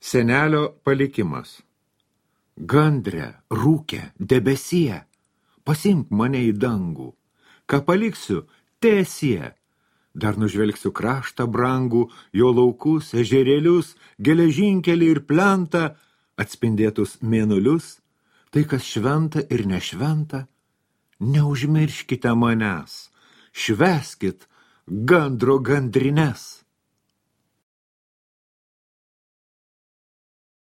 Senelio palikimas. Gandre, rūke, debesie, pasimk mane į dangų. Ką paliksiu, tiesie. Dar nužvelgsiu kraštą brangų, jo laukus, ežerėlius, geležinkelį ir plentą, atspindėtus mėnulius, tai kas šventa ir nešventa. Neužmirškite manęs, švęskit gandro gandrines.